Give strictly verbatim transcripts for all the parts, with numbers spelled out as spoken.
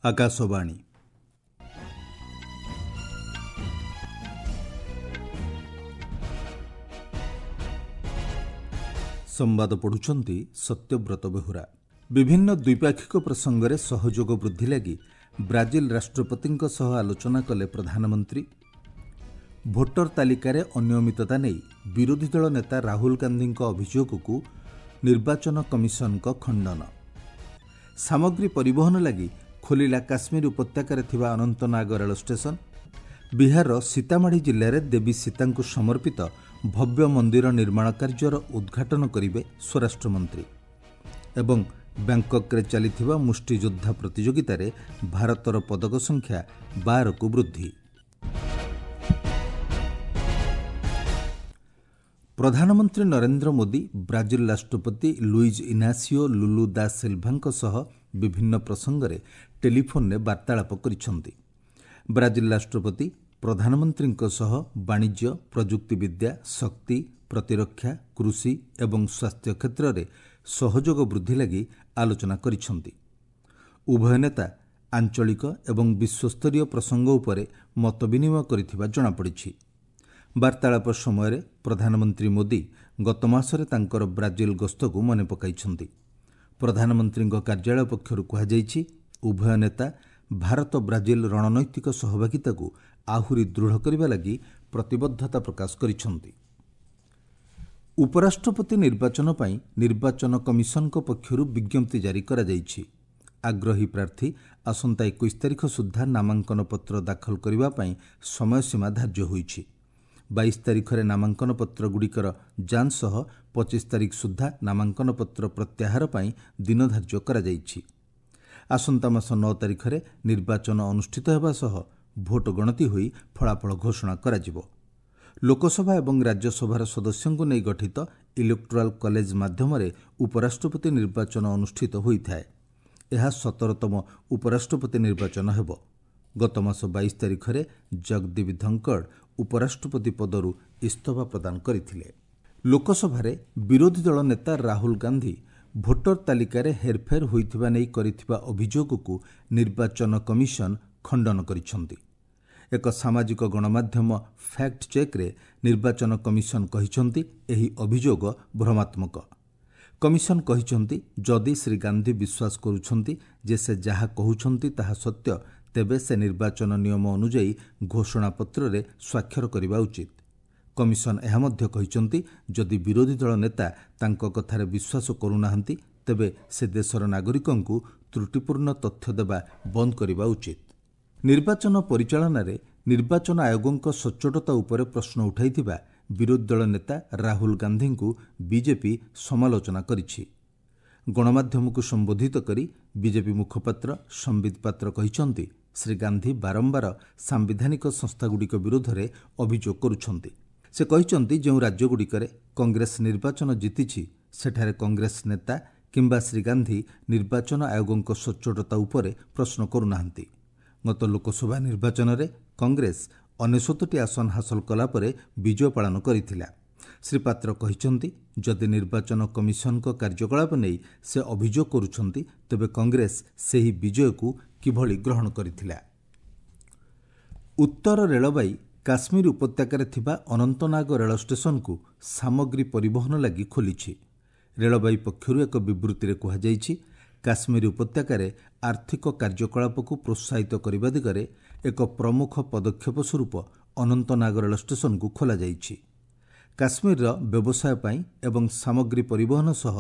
ଆକାଶବାଣୀ। ସମ୍ବାଦ ପଢ଼ୁଛନ୍ତି ସତ୍ୟବ୍ରତ ବେହୁରା। ବିଭିନ୍ନ ଦ୍ୱିପାକ୍ଷିକ ପ୍ରସଙ୍ଗରେ ସହଯୋଗ ବୃଦ୍ଧି ଲାଗି ବ୍ରାଜିଲ ରାଷ୍ଟ୍ରପତିଙ୍କ ସହ ଆଲୋଚନା କଲେ ପ୍ରଧାନମନ୍ତ୍ରୀ। ଭୋଟର ତାଲିକାରେ ଅନିୟମିତତା ନେଇ ବିରୋଧୀ ଦଳ ନେତା ରାହୁଲ ଗାନ୍ଧୀଙ୍କ ଅଭିଯୋଗକୁ ନିର୍ବାଚନ କମିଶନଙ୍କ ଖଣ୍ଡନ। ସାମଗ୍ରୀ ପରିବହନ ଲାଗି ଖୋଲିଲା କାଶ୍ମୀର ଉପତ୍ୟକାରେ ଥିବା ଅନନ୍ତନାଗ ରେଳ ଷ୍ଟେସନ। ବିହାରର ସୀତାମାଢ଼ି ଜିଲ୍ଲାରେ ଦେବୀ ସୀତାଙ୍କୁ ସମର୍ପିତ ଭବ୍ୟ ମନ୍ଦିର ନିର୍ମାଣ କାର୍ଯ୍ୟର ଉଦ୍ଘାଟନ କରିବେ ସ୍ୱରାଷ୍ଟ୍ରମନ୍ତ୍ରୀ। ଏବଂ ବ୍ୟାଙ୍କକ୍ରେ ଚାଲିଥିବା ମୁଷ୍ଟିଯୋଦ୍ଧା ପ୍ରତିଯୋଗିତାରେ ଭାରତର ପଦକ ସଂଖ୍ୟା ବାରକୁ ବୃଦ୍ଧି। ପ୍ରଧାନମନ୍ତ୍ରୀ ନରେନ୍ଦ୍ର ମୋଦି ବ୍ରାଜିଲ ରାଷ୍ଟ୍ରପତି ଲୁଇଜ୍ ଇନାସିଓ ଲୁଲୁ ଦା ସିଲ୍ଭାଙ୍କ ସହ ବିଭିନ୍ନ ପ୍ରସଙ୍ଗରେ ଟେଲିଫୋନ୍ରେ ବାର୍ତ୍ତାଳାପ କରିଛନ୍ତି। ବ୍ରାଜିଲ ରାଷ୍ଟ୍ରପତି ପ୍ରଧାନମନ୍ତ୍ରୀଙ୍କ ସହ ବାଣିଜ୍ୟ, ପ୍ରଯୁକ୍ତିବିଦ୍ୟା, ଶକ୍ତି, ପ୍ରତିରକ୍ଷା, କୃଷି ଏବଂ ସ୍ୱାସ୍ଥ୍ୟ କ୍ଷେତ୍ରରେ ସହଯୋଗ ବୃଦ୍ଧି ଲାଗି ଆଲୋଚନା କରିଛନ୍ତି। ଉଭୟ ନେତା ଆଞ୍ଚଳିକ ଏବଂ ବିଶ୍ୱସ୍ତରୀୟ ପ୍ରସଙ୍ଗ ଉପରେ ମତବିନିମୟ କରିଥିବା ଜଣାପଡ଼ିଛି। ବାର୍ତ୍ତାଳାପ ସମୟରେ ପ୍ରଧାନମନ୍ତ୍ରୀ ମୋଦି ଗତମାସରେ ତାଙ୍କର ବ୍ରାଜିଲ ଗସ୍ତକୁ ମନେ ପକାଇଛନ୍ତି। ପ୍ରଧାନମନ୍ତ୍ରୀଙ୍କ କାର୍ଯ୍ୟାଳୟ ପକ୍ଷରୁ କୁହାଯାଇଛି, ଉଭୟ ନେତା ଭାରତ ବ୍ରାଜିଲ ରଣନୈତିକ ସହଭାଗିତାକୁ ଆହୁରି ଦୃଢ଼ କରିବା ଲାଗି ପ୍ରତିବଦ୍ଧତା ପ୍ରକାଶ କରିଛନ୍ତି। ଉପରାଷ୍ଟ୍ରପତି ନିର୍ବାଚନ ପାଇଁ ନିର୍ବାଚନ କମିଶନଙ୍କ ପକ୍ଷରୁ ବିଜ୍ଞପ୍ତି ଜାରି କରାଯାଇଛି। ଆଗ୍ରହୀ ପ୍ରାର୍ଥୀ ଆସନ୍ତା ଏକୋଇଶ ତାରିଖ ସୁଦ୍ଧା ନାମାଙ୍କନ ପତ୍ର ଦାଖଲ କରିବା ପାଇଁ ସମୟସୀମା ଧାର୍ଯ୍ୟ ହୋଇଛି। ବାଇଶ ତାରିଖରେ ନାମାଙ୍କନ ପତ୍ରଗୁଡ଼ିକର ଯାଞ୍ଚ ସହ ପଚିଶ ତାରିଖ ସୁଦ୍ଧା ନାମାଙ୍କନ ପତ୍ର ପ୍ରତ୍ୟାହାର ପାଇଁ ଦିନ ଧାର୍ଯ୍ୟ କରାଯାଇଛି। ଆସନ୍ତା ମାସ ନଅ ତାରିଖରେ ନିର୍ବାଚନ ଅନୁଷ୍ଠିତ ହେବା ସହ ଭୋଟ ଗଣତି ହୋଇ ଫଳାଫଳ ଘୋଷଣା କରାଯିବ। ଲୋକସଭା ଏବଂ ରାଜ୍ୟସଭାର ସଦସ୍ୟଙ୍କୁ ନେଇ ଗଠିତ ଇଲେକ୍ଟୋରାଲ୍ କଲେଜ ମାଧ୍ୟମରେ ଉପରାଷ୍ଟ୍ରପତି ନିର୍ବାଚନ ଅନୁଷ୍ଠିତ ହୋଇଥାଏ। ଏହା ସତରତମ ଉପରାଷ୍ଟ୍ରପତି ନିର୍ବାଚନ ହେବ। ଗତମାସ ବାଇଶ ତାରିଖରେ ଜଗଦୀପ ଧଙ୍କଡ଼ ଉପରାଷ୍ଟ୍ରପତି ପଦରୁ ଇସ୍ତଫା ପ୍ରଦାନ କରିଥିଲେ। ଲୋକସଭାରେ ବିରୋଧୀ ଦଳ ନେତା ରାହୁଲ ଗାନ୍ଧୀ ଭୋଟର ତାଲିକାରେ ହେରଫେର ହୋଇଥିବା ନେଇ କରିଥିବା ଅଭିଯୋଗକୁ ନିର୍ବାଚନ କମିଶନ ଖଣ୍ଡନ କରିଛନ୍ତି। ଏକ ସାମାଜିକ ଗଣମାଧ୍ୟମ ଫ୍ୟାକ୍ଟ ଚେକ୍ରେ ନିର୍ବାଚନ କମିଶନ କହିଛନ୍ତି, ଏହି ଅଭିଯୋଗ ଭ୍ରମାତ୍ମକ। କମିଶନ କହିଛନ୍ତି, ଯଦି ଶ୍ରୀ ଗାନ୍ଧୀ ବିଶ୍ୱାସ କରୁଛନ୍ତି ଯେ ସେ ଯାହା କହୁଛନ୍ତି ତାହା ସତ୍ୟ, ତେବେ ସେ ନିର୍ବାଚନ ନିୟମ ଅନୁଯାୟୀ ଘୋଷଣାପତ୍ରରେ ସ୍ୱାକ୍ଷର କରିବା ଉଚିତ। କମିଶନ ଏହା ମଧ୍ୟ କହିଛନ୍ତି, ଯଦି ବିରୋଧୀ ଦଳ ନେତା ତାଙ୍କ କଥାରେ ବିଶ୍ୱାସ କରୁନାହାନ୍ତି, ତେବେ ସେ ଦେଶର ନାଗରିକଙ୍କୁ ତ୍ରୁଟିପୂର୍ଣ୍ଣ ତଥ୍ୟ ଦେବା ବନ୍ଦ କରିବା ଉଚିତ। ନିର୍ବାଚନ ପରିଚାଳନାରେ ନିର୍ବାଚନ ଆୟୋଗଙ୍କ ସଚ୍ଚୋଟତା ଉପରେ ପ୍ରଶ୍ନ ଉଠାଇଥିବା ବିରୋଧୀ ଦଳ ନେତା ରାହୁଲ ଗାନ୍ଧୀଙ୍କୁ ବିଜେପି ସମାଲୋଚନା କରିଛି। ଗଣମାଧ୍ୟମକୁ ସମ୍ବୋଧିତ କରି ବିଜେପି ମୁଖପାତ୍ର ସମ୍ବିତ ପାତ୍ର କହିଛନ୍ତି, ଶ୍ରୀ ଗାନ୍ଧୀ ବାରମ୍ବାର ସାମ୍ବିଧାନିକ ସଂସ୍ଥାଗୁଡ଼ିକ ବିରୋଧରେ ଅଭିଯୋଗ କରୁଛନ୍ତି। ସେ କହିଛନ୍ତି, ଯେଉଁ ରାଜ୍ୟଗୁଡ଼ିକରେ କଂଗ୍ରେସ ନିର୍ବାଚନ ଜିତିଛି, ସେଠାରେ କଂଗ୍ରେସ ନେତା କିମ୍ବା ଶ୍ରୀ ଗାନ୍ଧୀ ନିର୍ବାଚନ ଆୟୋଗଙ୍କ ସଚ୍ଚୋଟତା ଉପରେ ପ୍ରଶ୍ନ କରୁନାହାନ୍ତି। ଗତ ଲୋକସଭା ନିର୍ବାଚନରେ କଂଗ୍ରେସ ଅନେଶତଟି ଆସନ ହାସଲ କଲା ପରେ ବିଜୟ ପାଳନ କରିଥିଲା। ଶ୍ରୀ ପାତ୍ର କହିଛନ୍ତି, ଯଦି ନିର୍ବାଚନ କମିଶନଙ୍କ କାର୍ଯ୍ୟକଳାପ ନେଇ ସେ ଅଭିଯୋଗ କରୁଛନ୍ତି, ତେବେ କଂଗ୍ରେସ ସେହି ବିଜୟକୁ କିଭଳି ଗ୍ରହଣ କରିଥିଲା। ଉତ୍ତର ରେଳବାଇ କାଶ୍ମୀର ଉପତ୍ୟକାରେ ଥିବା ଅନନ୍ତନାଗ ରେଳ ଷ୍ଟେସନକୁ ସାମଗ୍ରୀ ପରିବହନ ଲାଗି ଖୋଲିଛି। ରେଳବାଇ ପକ୍ଷରୁ ଏକ ବିବୃତ୍ତିରେ କୁହାଯାଇଛି, କାଶ୍ମୀର ଉପତ୍ୟକାରେ ଆର୍ଥିକ କାର୍ଯ୍ୟକଳାପକୁ ପ୍ରୋତ୍ସାହିତ କରିବା ଦିଗରେ ଏକ ପ୍ରମୁଖ ପଦକ୍ଷେପ ସ୍ୱରୂପ ଅନନ୍ତନାଗ ରେଳ ଷ୍ଟେସନକୁ ଖୋଲାଯାଇଛି। କାଶ୍ମୀରର ବ୍ୟବସାୟ ପାଇଁ ଏବଂ ସାମଗ୍ରୀ ପରିବହନ ସହ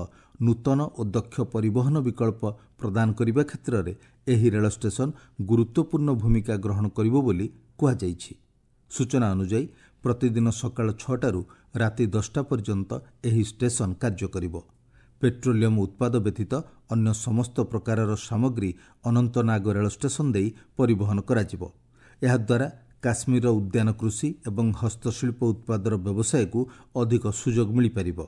ନୂତନ ଓ ଦକ୍ଷ ପରିବହନ ବିକଳ୍ପ ପ୍ରଦାନ କରିବା କ୍ଷେତ୍ରରେ ଏହି ରେଳ ଷ୍ଟେସନ ଗୁରୁତ୍ୱପୂର୍ଣ୍ଣ ଭୂମିକା ଗ୍ରହଣ କରିବ ବୋଲି କୁହାଯାଇଛି। ସୂଚନା ଅନୁଯାୟୀ, ପ୍ରତିଦିନ ସକାଳ ଛଅଟାରୁ ରାତି ଦଶଟା ପର୍ଯ୍ୟନ୍ତ ଏହି ଷ୍ଟେସନ କାର୍ଯ୍ୟ କରିବ। ପେଟ୍ରୋଲିୟମ ଉତ୍ପାଦ ବ୍ୟତୀତ ଅନ୍ୟ ସମସ୍ତ ପ୍ରକାରର ସାମଗ୍ରୀ ଅନନ୍ତନାଗ ରେଳ ଷ୍ଟେସନ ଦେଇ ପରିବହନ କରାଯିବ। ଏହାଦ୍ୱାରା କାଶ୍ମୀରର ଉଦ୍ୟାନ କୃଷି ଏବଂ ହସ୍ତଶିଳ୍ପ ଉତ୍ପାଦର ବ୍ୟବସାୟକୁ ଅଧିକ ସୁଯୋଗ ମିଳିପାରିବ।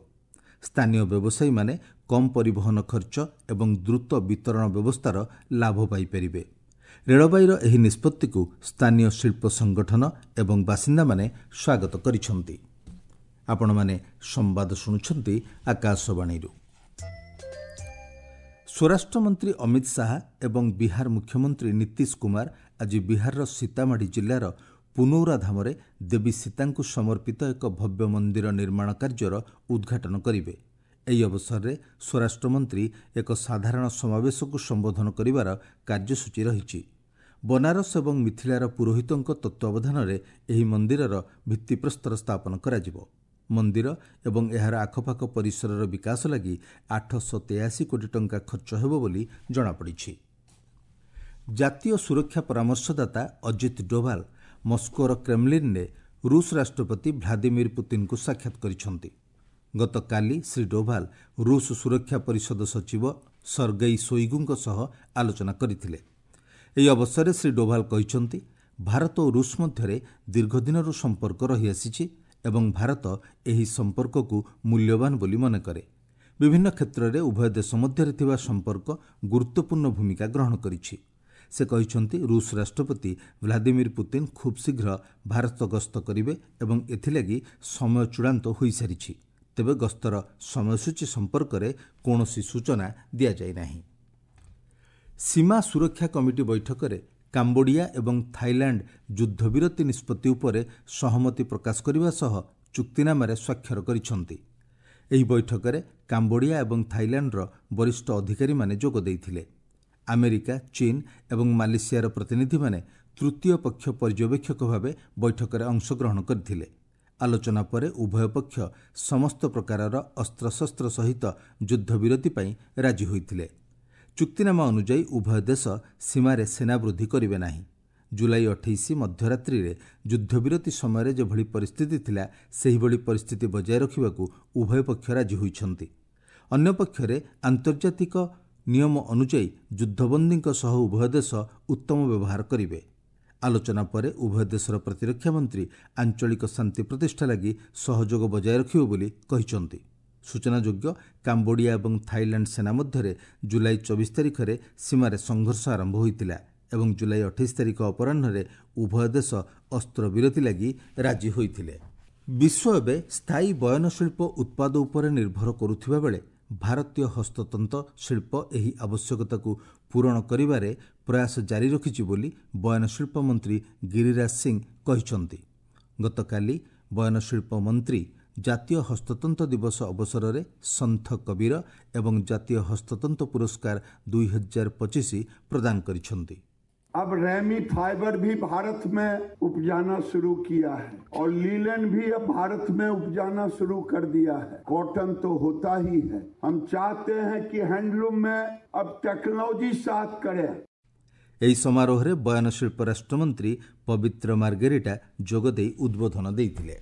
ସ୍ଥାନୀୟ ବ୍ୟବସାୟୀମାନେ କମ୍ ପରିବହନ ଖର୍ଚ୍ଚ ଏବଂ ଦ୍ରୁତ ବିତରଣ ବ୍ୟବସ୍ଥାର ଲାଭ ପାଇପାରିବେ। ରେଳବାଇର ଏହି ନିଷ୍ପତ୍ତିକୁ ସ୍ଥାନୀୟ ଶିଳ୍ପ ସଂଗଠନ ଏବଂ ବାସିନ୍ଦାମାନେ ସ୍ୱାଗତ କରିଛନ୍ତି। ଆପଣମାନେ ସମ୍ବାଦ ଶୁଣୁଛନ୍ତି ଆକାଶବାଣୀରୁ। ସ୍ୱରାଷ୍ଟ୍ରମନ୍ତ୍ରୀ ଅମିତ ଶାହା ଏବଂ ବିହାର ମୁଖ୍ୟମନ୍ତ୍ରୀ ନୀତିଶ କୁମାର ଆଜି ବିହାରର ସୀତାମାଢ଼ି ଜିଲ୍ଲାର ପୁନୌରା ଧାମରେ ଦେବୀ ସୀତାଙ୍କୁ ସମର୍ପିତ ଏକ ଭବ୍ୟ ମନ୍ଦିର ନିର୍ମାଣ କାର୍ଯ୍ୟର ଉଦ୍ଘାଟନ କରିବେ। ଏହି ଅବସରରେ ସ୍ୱରାଷ୍ଟ୍ରମନ୍ତ୍ରୀ ଏକ ସାଧାରଣ ସମାବେଶକୁ ସମ୍ବୋଧନ କରିବାର କାର୍ଯ୍ୟସୂଚୀ ରହିଛି। ବନାରସ ଏବଂ ମିଥିଳାର ପୁରୋହିତଙ୍କ ତତ୍ତ୍ୱାବଧାନରେ ଏହି ମନ୍ଦିରର ଭିତ୍ତିପ୍ରସ୍ତର ସ୍ଥାପନ କରାଯିବ। ମନ୍ଦିର ଏବଂ ଏହାର ଆଖପାଖ ପରିସରର ବିକାଶ ଲାଗି ଆଠଶହ ତେୟାଅଶୀ କୋଟି ଟଙ୍କା ଖର୍ଚ୍ଚ ହେବ ବୋଲି ଜଣାପଡ଼ିଛି। ଜାତୀୟ ସୁରକ୍ଷା ପରାମର୍ଶଦାତା ଅଜିତ ଡୋଭାଲ ମସ୍କୋର କ୍ରେମଲିନରେ ରୁଷ ରାଷ୍ଟ୍ରପତି ଭ୍ଲାଦିମିର ପୁତିନଙ୍କୁ ସାକ୍ଷାତ କରିଛନ୍ତି। ଗତକାଲି ଶ୍ରୀ ଡୋଭାଲ ରୁଷ ସୁରକ୍ଷା ପରିଷଦ ସଚିବ ସର୍ଗେଇ ସୋଇଗୁଙ୍କ ସହ ଆଲୋଚନା କରିଥିଲେ। ଏହି ଅବସରରେ ଶ୍ରୀ ଡୋଭାଲ କହିଛନ୍ତି, ଭାରତ ଓ ରୁଷ ମଧ୍ୟରେ ଦୀର୍ଘଦିନରୁ ସମ୍ପର୍କ ରହିଆସିଛି ଏବଂ ଭାରତ ଏହି ସମ୍ପର୍କକୁ ମୂଲ୍ୟବାନ ବୋଲି ମନେକରେ। ବିଭିନ୍ନ କ୍ଷେତ୍ରରେ ଉଭୟ ଦେଶ ମଧ୍ୟରେ ଥିବା ସମ୍ପର୍କ ଗୁରୁତ୍ୱପୂର୍ଣ୍ଣ ଭୂମିକା ଗ୍ରହଣ କରିଛି। ସେ କହିଛନ୍ତି, ରୁଷ ରାଷ୍ଟ୍ରପତି ଭ୍ଲାଦିମିର ପୁତିନ ଖୁବ୍ ଶୀଘ୍ର ଭାରତ ଗସ୍ତ କରିବେ ଏବଂ ଏଥିଲାଗି ସମୟ ଚୂଡ଼ାନ୍ତ ହୋଇସାରିଛି। ତେବେ ଗସ୍ତର ସମୟସୂଚୀ ସମ୍ପର୍କରେ କୌଣସି ସୂଚନା ଦିଆଯାଇ ନାହିଁ। ସୀମା ସୁରକ୍ଷା କମିଟି ବୈଠକରେ କାମ୍ବୋଡିଆ ଏବଂ ଥାଇଲାଣ୍ଡ ଯୁଦ୍ଧବିରତି ନିଷ୍ପତ୍ତି ଉପରେ ସହମତି ପ୍ରକାଶ କରିବା ସହ ଚୁକ୍ତିନାମାରେ ସ୍ୱାକ୍ଷର କରିଛନ୍ତି। ଏହି ବୈଠକରେ କାମ୍ବୋଡିଆ ଏବଂ ଥାଇଲାଣ୍ଡର ବରିଷ୍ଠ ଅଧିକାରୀମାନେ ଯୋଗ ଦେଇଥିଲେ। ଆମେରିକା, ଚୀନ ଏବଂ ମାଲେସିଆର ପ୍ରତିନିଧିମାନେ ତୃତୀୟ ପକ୍ଷ ପର୍ଯ୍ୟବେକ୍ଷକ ଭାବେ ବୈଠକରେ ଅଂଶଗ୍ରହଣ କରିଥିଲେ। ଆଲୋଚନା ପରେ ଉଭୟ ପକ୍ଷ ସମସ୍ତ ପ୍ରକାରର ଅସ୍ତ୍ରଶସ୍ତ୍ର ସହିତ ଯୁଦ୍ଧବିରତି ପାଇଁ ରାଜି ହୋଇଥିଲେ। ଚୁକ୍ତିନାମା ଅନୁଯାୟୀ ଉଭୟ ଦେଶ ସୀମାରେ ସେନା ବୃଦ୍ଧି କରିବେ ନାହିଁ। ଜୁଲାଇ ଅଠେଇଶ ମଧ୍ୟରାତ୍ରିରେ ଯୁଦ୍ଧବିରତି ସମୟରେ ଯେଭଳି ପରିସ୍ଥିତି ଥିଲା, ସେହିଭଳି ପରିସ୍ଥିତି ବଜାୟ ରଖିବାକୁ ଉଭୟ ପକ୍ଷ ରାଜି ହୋଇଛନ୍ତି। ଅନ୍ୟପକ୍ଷରେ ଆନ୍ତର୍ଜାତିକ ନିୟମ ଅନୁଯାୟୀ ଯୁଦ୍ଧବନ୍ଦୀଙ୍କ ସହ ଉଭୟ ଦେଶ ଉତ୍ତମ ବ୍ୟବହାର କରିବେ। ଆଲୋଚନା ପରେ ଉଭୟ ଦେଶର ପ୍ରତିରକ୍ଷା ମନ୍ତ୍ରୀ ଆଞ୍ଚଳିକ ଶାନ୍ତି ପ୍ରତିଷ୍ଠା ଲାଗି ସହଯୋଗ ବଜାୟ ରଖିବେ ବୋଲି କହିଛନ୍ତି। ସୂଚନାଯୋଗ୍ୟ, କାମ୍ବୋଡିଆ ଏବଂ ଥାଇଲାଣ୍ଡ ସେନା ମଧ୍ୟରେ ଜୁଲାଇ ଚବିଶ ତାରିଖରେ ସୀମାରେ ସଂଘର୍ଷ ଆରମ୍ଭ ହୋଇଥିଲା ଏବଂ ଜୁଲାଇ ଅଠେଇଶ ତାରିଖ ଅପରାହ୍ନରେ ଉଭୟ ଦେଶ ଅସ୍ତ୍ରବିରତି ଲାଗି ରାଜି ହୋଇଥିଲେ। ବିଶ୍ୱ ଏବେ ସ୍ଥାୟୀ ବୟନଶିଳ୍ପ ଉତ୍ପାଦ ଉପରେ ନିର୍ଭର କରୁଥିବା ବେଳେ ଭାରତୀୟ ହସ୍ତତନ୍ତ ଶିଳ୍ପ ଏହି ଆବଶ୍ୟକତାକୁ ପୂରଣ କରିବାରେ ପ୍ରୟାସ ଜାରି ରଖିଛି ବୋଲି ବୟନଶିଳ୍ପ ମନ୍ତ୍ରୀ ଗିରିରାଜ ସିଂ କହିଛନ୍ତି। ଗତକାଲି ବୟନଶିଳ୍ପ ମନ୍ତ୍ରୀ ଜାତୀୟ ହସ୍ତତନ୍ତ ଦିବସ ଅବସରରେ ସନ୍ଥ କବୀର ଏବଂ ଜାତୀୟ ହସ୍ତତନ୍ତ ପୁରସ୍କାର ଦୁଇ ହଜାର ପଚିଶ ପ୍ରଦାନ କରିଛନ୍ତି। अब रेमी फाइबर भी भारत में उपजाना शुरू किया है और लीलन भी अब भारत में उपजाना शुरू कर दिया है। कॉटन तो होता ही है। हम चाहते हैं कि हैंडलूम में अब टेक्नोलॉजी साथ करे। ଏହି ସମାରୋହରେ ବୟନଶିଳ୍ପ ରାଷ୍ଟ୍ରମନ୍ତ୍ରୀ ପବିତ୍ର ମାର୍ଗେରିଟା ଯୋଗଦେଇ ଉଦ୍ବୋଧନ ଦେଇଥିଲେ।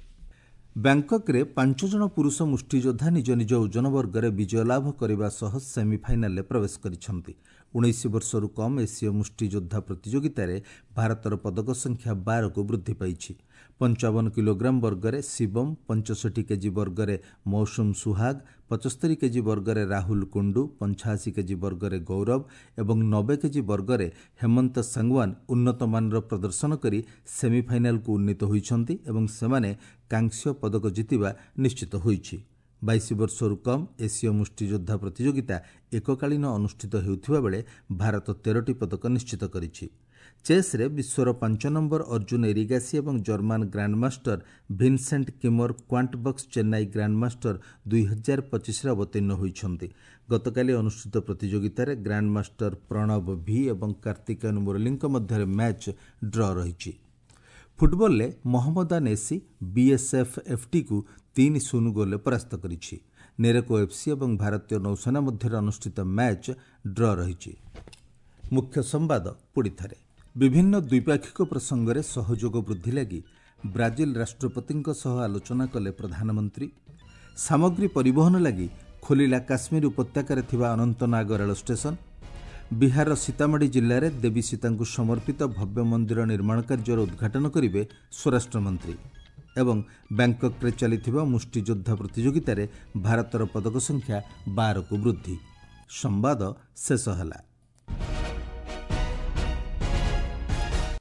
ବ୍ୟାଙ୍କକରେ ପାଞ୍ଚ ଜଣ ପୁରୁଷ ମୁଷ୍ଟିଯୋଦ୍ଧା ନିଜ ନିଜ ଓଜନ ବର୍ଗରେ ବିଜୟ ଲାଭ କରିବା ସହ ସେମିଫାଇନାଲରେ ପ୍ରବେଶ କରିଛନ୍ତି। ଉଣେଇଶ ବର୍ଷରୁ କମ୍ ଏସୀୟ ମୁଷ୍ଟିଯୋଦ୍ଧା ପ୍ରତିଯୋଗିତାରେ ଭାରତର ପଦକ ସଂଖ୍ୟା ବାରକୁ ବୃଦ୍ଧି ପାଇଛି। ପଞ୍ଚାବନ କିଲୋଗ୍ରାମ ବର୍ଗରେ ଶିବମ, ପଞ୍ଚଷଠି କେଜି ବର୍ଗରେ ମୌସୁମ ସୁହାଗ, ପଚସ୍ତରୀ କେଜି ବର୍ଗରେ ରାହୁଲ କୁଣ୍ଡୁ, ପଞ୍ଚାଅଶୀ କେଜି ବର୍ଗରେ ଗୌରବ ଏବଂ ନବେ କେଜି ବର୍ଗରେ ହେମନ୍ତ ସାଙ୍ଗୱାନ ଉନ୍ନତମାନର ପ୍ରଦର୍ଶନ କରି ସେମିଫାଇନାଲକୁ ଉନ୍ନୀତ ହୋଇଛନ୍ତି ଏବଂ ସେମାନେ କାଂସ୍ୟ ପଦକ ଜିତିବା ନିଶ୍ଚିତ ହୋଇଛି। ବାଇଶ ବର୍ଷରୁ କମ୍ ଏସୀୟ ମୁଷ୍ଟିଯୋଦ୍ଧା ପ୍ରତିଯୋଗିତା ଏକକାଳୀନ ଅନୁଷ୍ଠିତ ହେଉଥିବା ବେଳେ ଭାରତ ତେରଟି ପଦକ ନିଶ୍ଚିତ କରିଛି। ଚେସ୍ରେ ବିଶ୍ୱର ପାଞ୍ଚ ନମ୍ବର ଅର୍ଜୁନ ଏରିଗାସି ଏବଂ German grandmaster Vincent Keymer Quantbox Chennai grandmaster ଦୁଇ ହଜାର ପଚିଶରେ ଅବତୀର୍ଣ୍ଣ ହୋଇଛନ୍ତି। ଗତକାଲି ଅନୁଷ୍ଠିତ ପ୍ରତିଯୋଗିତାରେ ଗ୍ରାଣ୍ଡମାଷ୍ଟର ପ୍ରଣବ ଭି ଏବଂ କାର୍ତ୍ତିକେୟନ ମୁରଲୀଙ୍କ ମଧ୍ୟରେ ମ୍ୟାଚ୍ ଡ୍ର ରହିଛି। ଫୁଟବଲରେ ମହମ୍ମଦାନ ଏସି ବିଏସ୍ଏଫ୍ ଏଫ୍ଟିକୁ ତିନି ଶୂନ ଗୋଲରେ ପରାସ୍ତ କରିଛି। ନେରେକୋ ଏଫ୍ସି ଏବଂ ଭାରତୀୟ ନୌସେନା ମଧ୍ୟରେ ଅନୁଷ୍ଠିତ ମ୍ୟାଚ୍ ଡ୍ର ରହିଛି। ମୁଖ୍ୟ ସମ୍ବାଦ ପୁଣିଥରେ। ବିଭିନ୍ନ ଦ୍ୱିପାକ୍ଷିକ ପ୍ରସଙ୍ଗରେ ସହଯୋଗ ବୃଦ୍ଧି ଲାଗି ବ୍ରାଜିଲ ରାଷ୍ଟ୍ରପତିଙ୍କ ସହ ଆଲୋଚନା କଲେ ପ୍ରଧାନମନ୍ତ୍ରୀ। ସାମଗ୍ରୀ ପରିବହନ ଲାଗି ଖୋଲିଲା କାଶ୍ମୀର ଉପତ୍ୟକାରେ ଥିବା ଅନନ୍ତନାଗ ରେଳ ଷ୍ଟେସନ। ବିହାରର ସୀତାମାଢ଼ି ଜିଲ୍ଲାରେ ଦେବୀ ସୀତାଙ୍କୁ ସମର୍ପିତ ଭବ୍ୟ ମନ୍ଦିର ନିର୍ମାଣ କାର୍ଯ୍ୟର ଉଦ୍ଘାଟନ କରିବେ ସ୍ୱରାଷ୍ଟ୍ରମନ୍ତ୍ରୀ। ଏବଂ ବ୍ୟାଙ୍କକରେ ଚାଲିଥିବା ମୁଷ୍ଟିଯୋଦ୍ଧା ପ୍ରତିଯୋଗିତାରେ ଭାରତର ପଦକ ସଂଖ୍ୟା ବାରକୁ ବୃଦ୍ଧି। ସମ୍ବାଦ ଶେଷ ହେଲା।